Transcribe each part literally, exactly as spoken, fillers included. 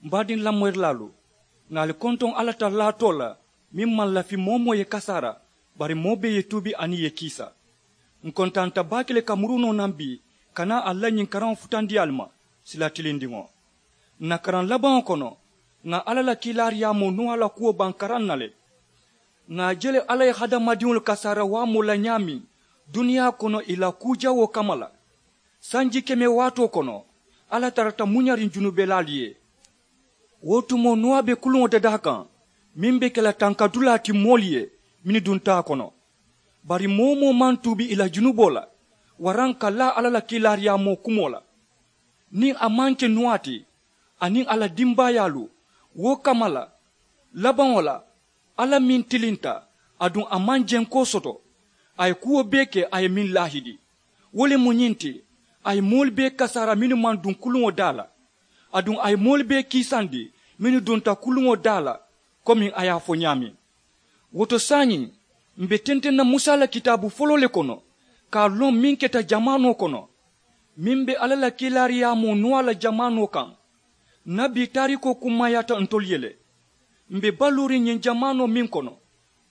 M baadiŋ lamoyirilaalu, ŋà ali kontoŋ alla taraalaatoo la meŋ maŋ lafi moo-wo-moo ye kasaara, bari moo bee ye tuubi aniŋ ì ye kiisa. Ǹ kontaanta baake le ka muru noo naŋ bii ka naa ali la ñiŋ karaŋo futandi ali ma, sila tilindiŋo. Ǹ na karaŋ labaŋo kono, ŋà alla la kiilaariyaamoo nuwaa la kuwo baŋ karaŋ na le. Ŋà a je le alla ye hadamadiŋolu kasaara waamoo la ñaameŋ duniyaa kono ì la kuu jawoo kamma la. Sanji keme waatoo kono, alla tarata muñariŋ junubelaalu ye. Wo tumoo nuwaa be kuluŋo dadaa kaŋ meŋ be ke la tankadulaa ti moolu ye mennu dunta a kono. Bari moo-wo-moo maŋ tuubi ì la junuboo la waraŋ ka laa alla la kiilaariyaamoo kumoo la. Niŋ a maŋ ke nuwaa ti aniŋ a la dimbaayaalu, wo kamma la, labaŋo la, alla meŋ tilinta, aduŋ a maŋ jenkoo soto. A ye kuwo bee ke a ye meŋ laahidi, wo le mu ñiŋ ti, a ye moolu bee kasaara mennu maŋ duŋ kuluŋo daa la, aduŋ a ye moolu bee kiisandi mennu dunta kuluŋo daa la, komiŋ a ye a fo ñaameŋ. Wo to saayiŋ, m̀ be tenteŋ na musa la kitaabu foloo le kono, ka a loŋ meŋ keta jamaanoo kono, meŋ be alla la kiilaariyaamoo nuwaa la jamaanoo kaŋ. Ǹ na bii taariikoo kummaayaata ntolu ye le. M̀ be baluuriŋ ñiŋ jamaanoo meŋ kono,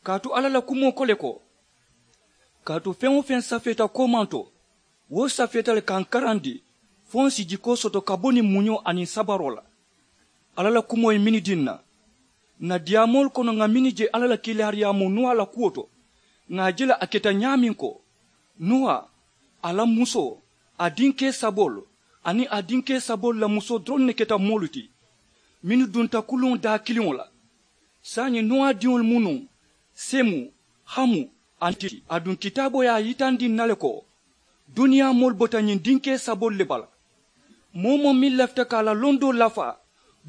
kaatu alla la kumoo ko le ko, kaatu feŋ-wo-feŋ safeeta koomaŋ to, wo safeeta le ka ǹ karandi, fo ǹ si jikoo soto ka bo niŋ muñoo aniŋ sabaroo la. Alla la kumoo ye mennu dii ǹ na, ǹ na diyaamoolu kono ŋà mennu je alla la kiilaariyaamoo nuwaa la kuwo to, ŋà a je le a keta ñaameŋ ko, nuwaa, a la musoo, a dinkee saboolu, aniŋ a dinkee saboolu la musoo doroŋ ne keta moolu ti mennu dunta kuluŋo daa kiliŋo la. Saayiŋ nuwaa diŋolu mu nuŋ, semu, hamu, aniŋ ti aduŋ kitaaboo ye a yitandi ǹ na le ko, duniyaa moolu bota ñiŋ dinkee saboolu le bala. Moo-wo-moo meŋ lafita ka a la londoo lafaa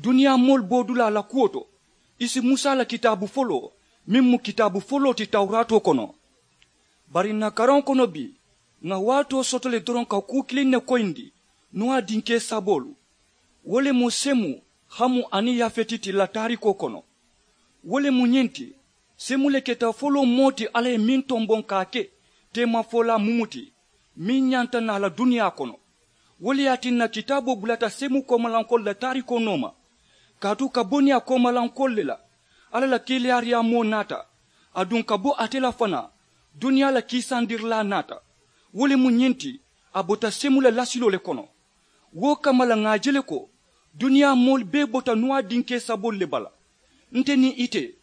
duniyaa moolu boodulaa la kuwo to, i si musa la kitaabu foloo, meŋ mu kitaabu foloo ti tawuraatoo kono. Bari ǹ na karaŋo kono bii, ŋà waatoo soto le doroŋ ka kuu kiliŋ ne koyindi, nuwaa dinkee saboolu. Wo le mu semu, hamu aniŋ yafeti ti la taariikoo kono. Wo le mu ñiŋ ti, semu le keta foloo moo ti alla ye meŋ tomboŋ ka a ke teemafolaa mumu ti, meŋ ñanta naa la duniyaa kono. Wo le ye a tinna kitaaboo bulata semu koomalankoolu la taariikoo nooma, kaatu ka bo niŋ a koomalankoolu le la, alla la kiilaariyaamoo naata, aduŋ ka bo ate la fanaa, duniyaa la kiisandirilaa naata. Wo le mu ñiŋ ti, a bota semu la lasiloo le kono. Wo kamma la ŋà a je le ko, duniyaa moolu bee bota nuwaa dinkee saboolu le bala. Nte niŋ ite,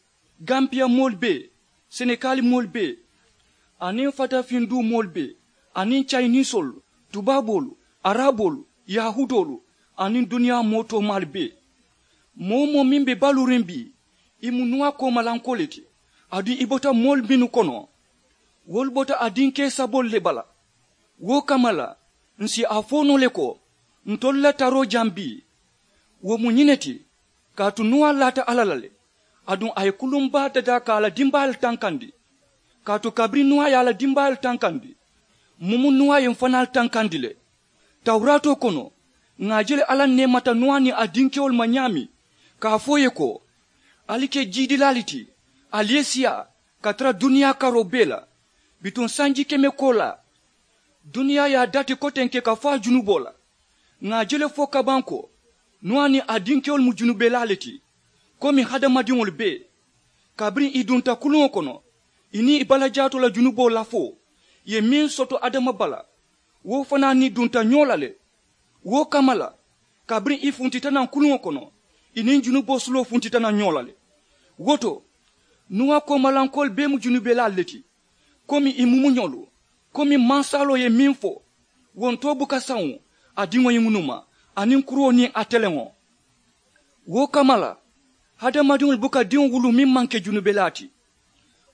gambiya moolu bee, senekaali moolu bee, aniŋ fatafinduu moolu bee, aniŋ cayiniisoolu, tubaaboolu, araboolu, yahuudoolu, aniŋ duniyaa moo toomaalu bee. Moo-wo-moo meŋ be baluuriŋ bii, ì mu nuwaa koomalankoo le ti. Aduŋ ì bota moolu mennu kono, wolu bota a dinkee saboolu le bala. Wo kamma la, ǹ si a fo noo le ko, ntolu la taroo jaŋ bii, wo mu ñiŋ ne ti, kaatu nuwaa laata alla la le, aduŋ a ye kuluŋ baa dadaa ka a la dimbaayaalu tankandi. Kaatu kabiriŋ nuwaa ye a la dimbaayaalu tankandi, mumu nuwaa ye m̀ fanaalu tankandi le. Tawuraatoo kono, ŋà a je le alla neemata nuwaa niŋ a dinkewolu ma ñaameŋ, ka a fo ì ye ko, ali ke jiidilaalu ti, ali ye siyaa ka tara duniyaa karoo bee la. Bituŋ sanji keme koolaa, duniyaa ye a dati kotenke ka fo a junuboo la. Ŋà a je le fo kabaŋ ko, nuwaa niŋ a dinkewolu mu junubelaa le ti, komi hadamadiŋolu bee. Kabiriŋ ì dunta kuluŋo kono, ì niŋ ì balajaatoo la junuboo lafoo ye meŋ soto adama bala, wo fanaa niŋ ì dunta ñoo la le. Wo kamma la, kabiriŋ ì funtita naŋ kuluŋo kono, ì niŋ junuboo suloo funtita naŋ ñoo la le. Wo to, nuwaa koomalankoolu bee mu junubelaalu le ti, komi ì mumuñolu, komi mansaaloo ye meŋ fo, wo ntoo buka saŋo, a diŋo ye ŋunuma, aniŋ kuruwo niŋ a teleŋo. Wo kamma la, hadamadiŋolu buka diŋo wuluu meŋ maŋ ke junubelaa ti.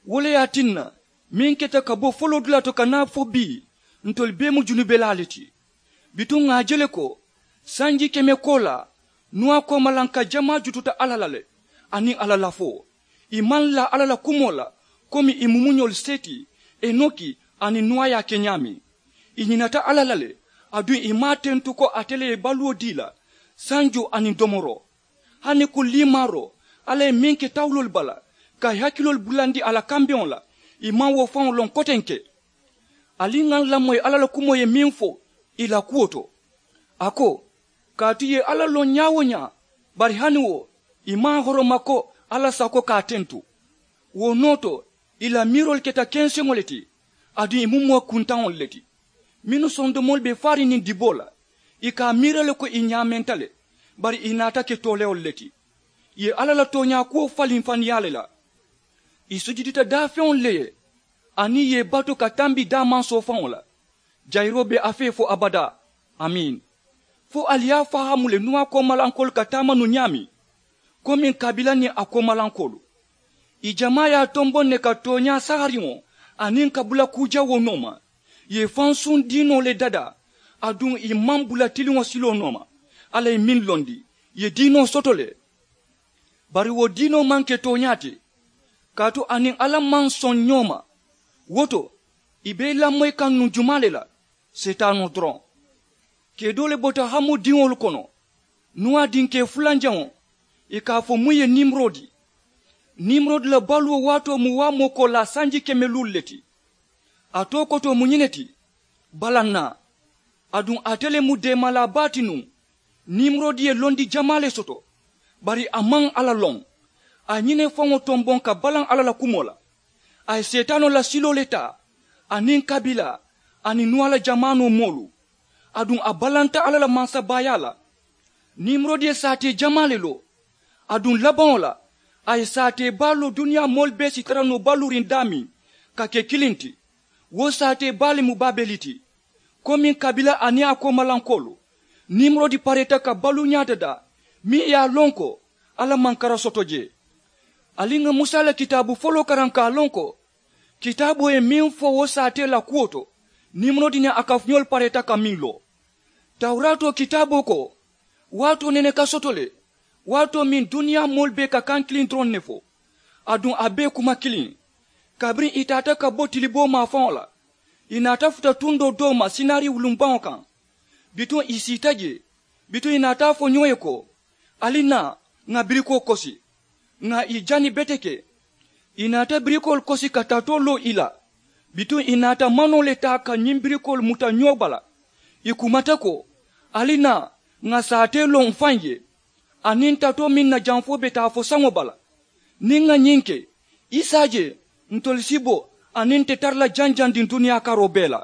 Wo le ye a tinna, meŋ keta ka bo foloodulaa to ka naa fo bii, ntolu bee mu junubelaa le ti. Bituŋ ŋà a je le ko, sanji keme koolaa, nuwaa koomalanka jamaa jututa alla la le, aniŋ a la lafoo. Ì maŋ laa alla la kumoo la, komi ì mumuñolu seeti, enoki, aniŋ nuwaa ye a ke ñaameŋ. Ì ñinata alla la le, aduŋ ì maŋ a tentu ko ate le ye baluwo dii ì la, sanjoo aniŋ domoroo. Hani kuŋ liimaaroo, alla ye meŋ ke tawuloolu bala, ka ì hakiloolu bulandi a la kambeŋo la, ì maŋ wo faŋo loŋ kotenke. Ali ŋà ǹ lamoyi alla la kumoo ye meŋ fo ì la kuwo to. A ko, kaatu ì ye alla loŋ ñaa-wo-ñaa, Bari hani wo ì maŋ a horoma ko alla sako ka a tentu. Wo noo to ì la miiroolu keta kenseŋo le ti. Aduŋ ì mu moo kuntaŋolu le ti mennu sondomoolu be faariŋ niŋ diboo la. Ì ka a miira le ko ì ñaamenta le. Bari ì naata ke toolewolu le ti. Ì ye alla la tooñaa kuwo faliŋ faniyaa le la. Ì sujudita daafeŋolu le ye aniŋ ì ye ì batu ka tambi daamansoo faŋo la. Jayiroo be a fee fo abadaa. Amiin. Fo ali ye a fahaamu le nuwaa koomalankoolu ka taama nuŋ ñaameŋ komiŋ kabila niŋ a koomalankoolu. Ì jamaa ye a tomboŋ ne ka tooñaa sahariŋo aniŋ ka bula kuu jawoo nooma. Ì ye fansuŋ diinoo le dadaa. Aduŋ ì maŋ bula tiliŋo siloo nooma. Alla ye meŋ londi ì ye diinoo soto le. Bari wo diinoo maŋ ke tooñaa ti. Kaatu a niŋ alla maŋ soŋ ñoo ma. Wo to ì be i lamoyi kaŋ nuŋ jumaa le la? Seetaanoo doroŋ. Kee doo le bota hamu diŋolu kono. Nuwaa dinkee fulanjaŋo ì ka a fo muŋ ye nimurodi. Nimurodi la baluwo waatoo mu waamoo koolaa sanji keme luulu le ti. A too kotoo mu ñiŋ ne ti. Balannaa. Aduŋ ate le mu deemalaa baa ti nuŋ. Nimurodi ye londi jamaa le soto. Bari a maŋ alla loŋ. A ye ñiŋ ne faŋo tomboŋ ka balaŋ alla la kumoo la. A ye seetaanoo la siloo le taa aniŋ kabiilaa aniŋ nuwaa la jamaanoo moolu. Aduŋ a balanta alla la mansabaayaa la. Nimurodi ye saatee jamaa le loo. Aduŋ labaŋo la a ye saatee baa loo duniyaa moolu bee si tara noo baluuriŋ daameŋ ka ke kiliŋ ti. Wo saatee baa le mu baabeli ti. Komiŋ kabila aniŋ a koomalankoolu nimurodi pareeta ka baluuñaa dadaa meŋ ye a loŋ ko alla maŋ kara soto jee. Ali ŋa musa la kitaabu foloo karaŋ ka a loŋ ko kitaaboo ye meŋ fo wo saatee la kuwo to. Nimurodi niŋ a kafuñoolu pareeta ka meŋ loo. Tawuraatoo kitaaboo ko waatoo nene ka soto le. Waatoo meŋ duniyaa moolu bee ka kaŋ kiliŋ doroŋ ne fo. Aduŋ a bee kuma kiliŋ. Kabiriŋ ì taata ka bo tiliboo maafaŋo la ì naata futa tundoo doo ma sinaari wulumbaŋo kaŋ. Bituŋ ì siita jee. Bituŋ ì naata a fo ñoo ye ko ali naa ŋà birikoo kosi. Ŋà ì jani beteke. Ì naata birikoolu kosi ka tatoo loo ì la. Bituŋ ì naata manoo le taa ka ñiŋ birikoolu muta ñoo bala. Ì kumata ko ali naa ŋà saatee loŋ m̀ faŋ ye. Aniŋ tatoo meŋ na jamfoo be taa fo saŋo bala. Niŋ ŋà ñiŋ ke i se a je ntolu si bo aniŋ nte tara la janjandiŋ duniyaa karoo bee la.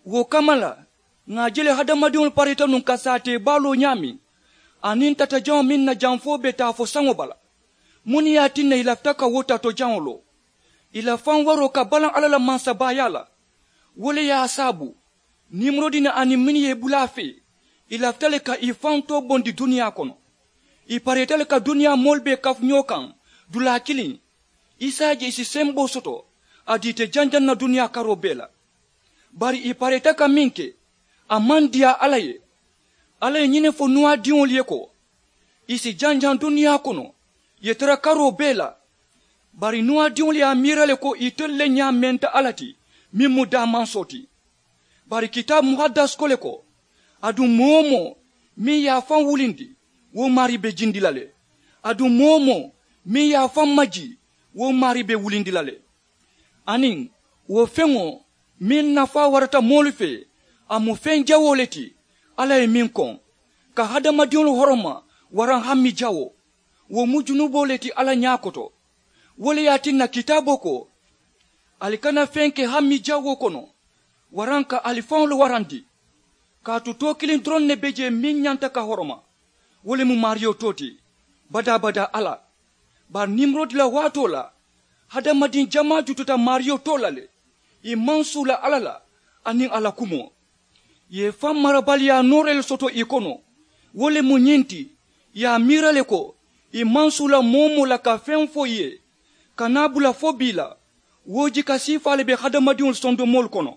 Wo kamma la ŋà a je le hadamadiŋolu parita nuŋ ka saatee baaloo ñaameŋ. Aniŋ tatajaŋo meŋ na jamfoo be taa fo saŋo bala. Muŋ ne ye a tinna ì lafita ka wo tatojaŋo loo? Ì la faŋ waroo ka balaŋ alla la mansabaayaa la. Wo le ye a saabu nimurodi niŋ aniŋ mennu ye i bula a fee ì lafita le ka ì faŋ too bondi duniyaa kono. Ì pareeta le ka duniyaa moolu bee kafu ñoo kaŋ dulaa kiliŋ. I se a je ì si semboo soto a diite janjaŋ na duniyaa karoo bee la. Bari ì pareeta ka meŋ ke a maŋ diyaa alla ye. Alla ye ñiŋ ne fo nuwaadiŋolu ye ko ì si janjaŋ duniyaa kono ì ye tara karoo bee la. Bari nuwaadiŋolu ye a miira le ko itelu le ñaamenta alla ti meŋ mu daamansoo ti. Bari kitaabu muhaddas ko le ko aduŋ moo-wo-moo meŋ ye a faŋ wulindi wo maarii be jindi la le. Aduŋ moo-wo-moo meŋ ye a faŋ majii wo maarii be wulindi la le. Aniŋ wo feŋo meŋ nafaa warata moolu fee a mu feŋ jawoo le ti. Alla ye meŋ koŋ ka hadamadiŋolu horoma waraŋ hammi jawoo. Wo mu junuboo le ti alla ñaa koto. Wo le ye a tinna kitaaboo ko ali kana feŋ ke hammi jawoo kono waraŋ ka ali faŋolu warandi. Kaatu too kiliŋ doroŋ ne be jee meŋ ñanta ka horoma wo le mu maariyo too ti badaa-badaa alla. Bari nimurodi la waatoo la hadamadiŋ jamaa jututa maariyo too la le. Ì maŋ suula alla la aniŋ a la kumoo. Ì ye faŋ marabaliyaa nooree le soto ì kono. Wo le mu ñiŋ ti ì ye a miira le ko ì maŋ suula moo-wo-moo la ka feŋ fo ì ye. Ka naa bula fo bii la wo jika siifaa le be hadamadiŋolu sondomoolu kono.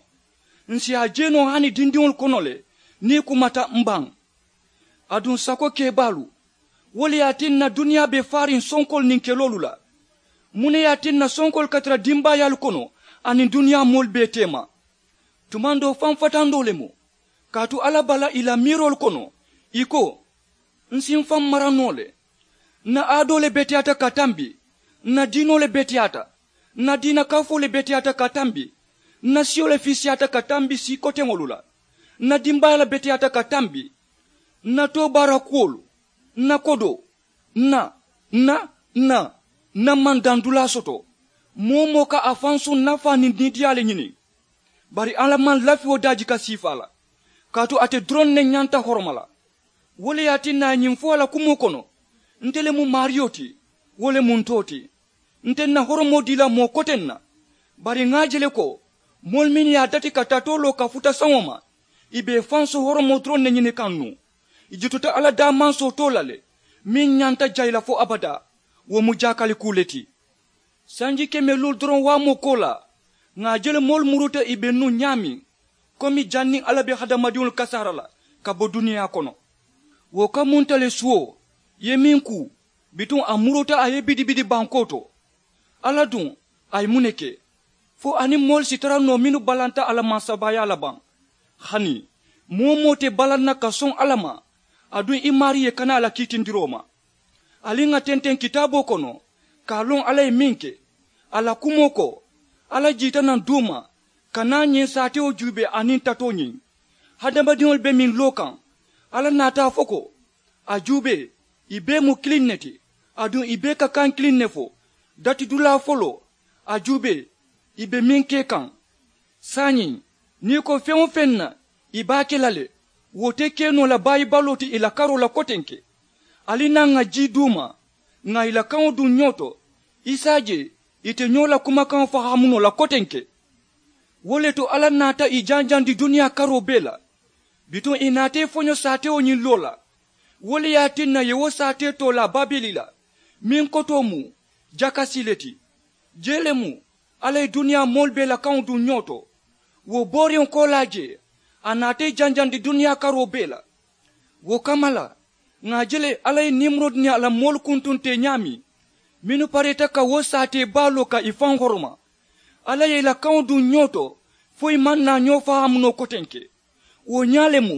Ǹ si a je noo hani dindiŋolu kono le niŋ ì kumata m̀ baŋ. Aduŋ sako kebaalu wo le ye a tinna duniyaa be faariŋ sonkoolu niŋ keloolu la. Muŋ ne ye a tinna sonkoolu ka tara dimbaayaalu kono aniŋ duniyaa moolu bee teema? Tumandoo faŋ fatandoo le mu. Kaatu alla bala ì la miiroolu kono ì ko ǹ si m̀ faŋ mara noo le. Ǹ na aadoo le beteyaata ka tambi. Ǹ na diinoo le beteyaata. Ǹ na diina kafoo le beteyaata ka tambi. Ǹ na siyo le fiisiyaata ka tambi sii koteŋolu la. Ǹ na dimbaaya le beteyaata ka tambi. Ǹ na toobaara kuwolu N na kodoo, n na n na n na n na maŋ daŋ dulaa soto. Moo-wo-moo ka a faŋ suŋ nafaa niŋ niidiyaa le ñini. Bari alla maŋ lafiyoo daaji ka siifaa la, kaatu ate doroŋ ne ñanta horoma la. Wo le ye a tinna a ye ñiŋ fo a la kumoo kono, nte le mu maariyo ti, wo le mu ntoo ti. Nte n na horomoo dii la moo koteŋ na. Bari ŋa a je le ko moolu mennu ye a dati ka tatoo loo ka futa saŋo ma, ì be ì fansu horomoo doroŋ ne ñini kaŋ nuŋ. Ì jututa alla daamansoo too la le, meŋ ñanta jayi la fo abadaa. Wo mu jaakalikuu le ti. Sanji keme luulu doroŋ waamoo koolaa, ŋà a je le moolu muruuta ì be nuŋ ñaameŋ, komi janniŋ alla be hadamadiŋolu kasaara la ka bo duniyaa kono. Wo kamunta le suwo ye meŋ kuu, bituŋ a muruuta a ye bidibidi bankoo to. Alla duŋ, a ye muŋ ne ke? Fo a niŋ moolu si tara noo mennu balanta a la mansabaayaa la baŋ? Hani moo-wo-moo te balaŋ na ka soŋ alla ma, aduŋ i maarii ye kana a la kiitindiroo ma. Ali ŋà tenteŋ kitaaboo kono ka a loŋ alla ye meŋ ke. A la kumoo ko, alla jiita naŋ duuma ka naa ñiŋ saatewo juubee aniŋ tatoo ñiŋ. Hadamadiŋolu be meŋ loo kaŋ, alla naata a fo ko, a juubee, ì bee mu kiliŋ ne ti, aduŋ ì bee ka kaŋ kiliŋ ne fo. Dati dulaa foloo, a juubee, ì be meŋ ke kaŋ. Saayiŋ, niŋ ì ko feŋ-wo-feŋ na, ì be a ke la le. Wo te ke noo la baayi baloo ti ì la karoo la kotenke. Ali naa ŋà jii duuma, ŋà ì la kaŋo duŋ ñoo to, i si a je ì te ñoo la kumakaŋo fahaamu noo la kotenke. Wo le to alla naata ì janjandi duniyaa karoo bee la. Bituŋ ì naata ì foño saatewo ñiŋ loo la. Wo le ye a tinna ì ye wo saatee too laa babeli la, meŋ kotoo mu jakasi le ti. Jee le mu alla ye duniyaa moolu bee la kaŋo duŋ ñoo to. Wo booriŋo koolaa jee, a naata ì janjandi duniyaa karoo bee la. Wo kamma la, ŋà a je le alla ye nimurodi niŋ a la moolu kuntunte ñaameŋ, mennu pareeta ka wo saatee baa loo ka ì faŋ horoma. Alla ye ì la kaŋo duŋ ñoo to, fo ì maŋ naa ñoo fahaamu noo kotenke. Wo ñaa le mu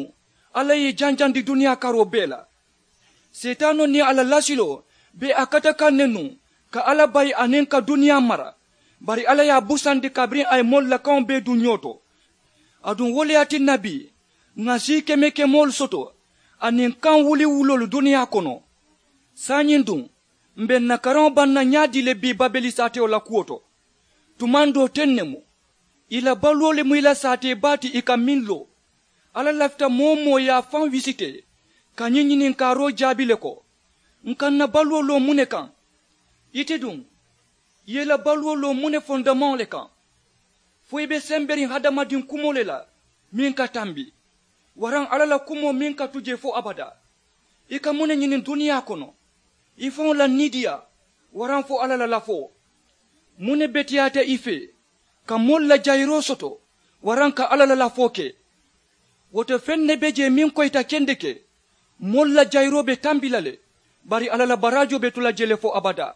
alla ye ì janjandi duniyaa karoo bee la. Seetaanoo niŋ a la lasiloo be a kata kaŋ ne nuŋ, ka alla bayi aniŋ ka duniyaa mara. Bari alla ye a busandi kabiriŋ a ye moolu la kaŋo bee duŋ ñoo to. Aduŋ wo le ye a tinna bii, ŋà sii keme kemoolu soto aniŋ kaŋ wuliwuloolu duniyaa kono. Saayiŋ duŋ, m̀ be ǹ na karaŋo baŋ na ñaadii le bii babeli saatewo la kuwo to? Tumaŋ doo teŋ ne mu. Ì la baluwo le mu ì la saatee baa ti ì ka meŋ loo. Alla lafita moo-wo-moo ye a faŋ wisitee ka ñiŋ ñininkaaroo jaabi le ko, ǹ ka ǹ na baluwo loo muŋ ne kaŋ? Ite duŋ, ì ye ì la baluwo loo muŋ ne fondamaŋo le kaŋ? Fo ì be semberiŋ hadamadiŋ kumoo le la meŋ ka tambi, waraŋ alla la kumoo meŋ ka tu jee fo abadaa? Ì ka muŋ ne ñini duniyaa kono? Ì faŋo la niidiyaa, waraŋ fo alla la lafoo? Muŋ ne beteyaata ì fee, ka moolu la jayiroo soto, waraŋ ka alla la lafoo ke? Wo to feŋ ne be jee meŋ koyita kendeke. Moolu la jayiroo be tambi la le, bari alla la baraajoo be tu la jee le fo abadaa.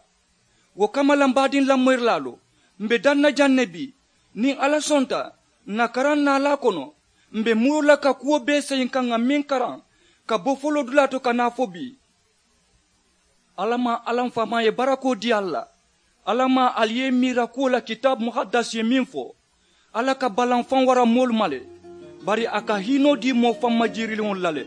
Wo kamma la m̀ baadiŋ lamoyirilaalu, m̀ be daŋ na jaŋ ne bii. Niŋ alla sonta, ǹ na karaŋ naalaa kono, m̀ be muruu la ka kuwo bee seyiŋ ka ŋà meŋ karaŋ ka bo foloo dulaa to ka naa fo bii. Alla maŋ alla m̀ faamaa ye barakoo dii ali la. Alla maŋ ali ye ì miira kuwo la kitaabu muhadasi ye meŋ fo, alla ka balaŋ faŋ wara moolu ma le, bari a ka hiinoo dii moo faŋ majiiriliŋolu la le.